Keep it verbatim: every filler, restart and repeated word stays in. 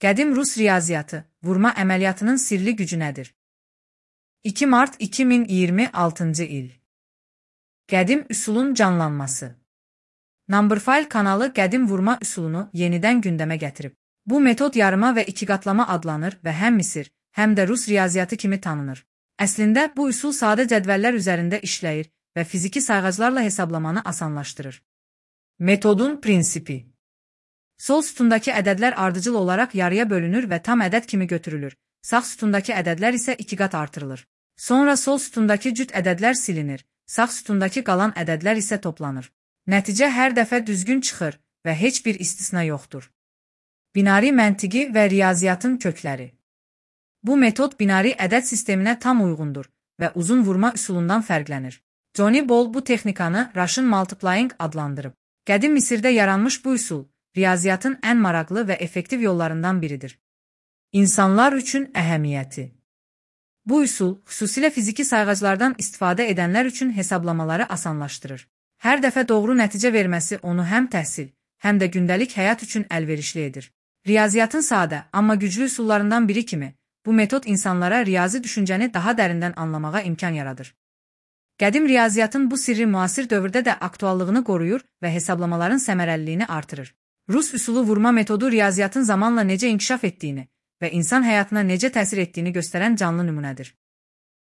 Qədim Rus riyaziyyatı, vurma əməliyyatının sirli gücü nədir? iki mart iki min iyirmi altıncı il. Qədim üsulun canlanması. Numberphile kanalı qədim vurma üsulunu yenidən gündəmə gətirib. Bu metod yarıma və ikiqatlama adlanır və həm Misir, həm də Rus riyaziyyatı kimi tanınır. Əslində, bu üsul sadə cədvəllər üzərində işləyir və fiziki sayğaclarla hesablamanı asanlaşdırır. Metodun prinsipi. Sol sütundakı ədədlər ardıcıl olaraq yarıya bölünür və tam ədəd kimi götürülür. Sağ sütundakı ədədlər isə iki qat artırılır. Sonra sol sütundakı cüt ədədlər silinir. Sağ sütundakı qalan ədədlər isə toplanır. Nəticə hər dəfə düzgün çıxır və heç bir istisna yoxdur. Binari məntiqi və riyaziyyatın kökləri. Bu metod binari ədəd sisteminə tam uyğundur və uzun vurma üsulundan fərqlənir. Johnny Ball bu texnikanı Russian multiplying adlandırıb. Qədim Misirdə yaranmış bu üsul, riyaziyyatın ən maraqlı və effektiv yollarından biridir. İnsanlar üçün əhəmiyyəti. Bu üsul, xüsusilə fiziki sayğaclardan istifadə edənlər üçün hesablamaları asanlaşdırır. Hər dəfə doğru nəticə verməsi onu həm təhsil, həm də gündəlik həyat üçün əlverişli edir. Riyaziyyatın sadə, amma güclü üsullarından biri kimi, bu metod insanlara riyazi düşüncəni daha dərindən anlamağa imkan yaradır. Qədim riyaziyyatın bu sirri müasir dövrdə də aktuallığını qoruyur və hesablamaların səmərəliliyini artırır. Rus üsulu vurma metodu riyaziyyatın zamanla necə inkişaf etdiyini və insan həyatına necə təsir etdiyini göstərən canlı nümunədir.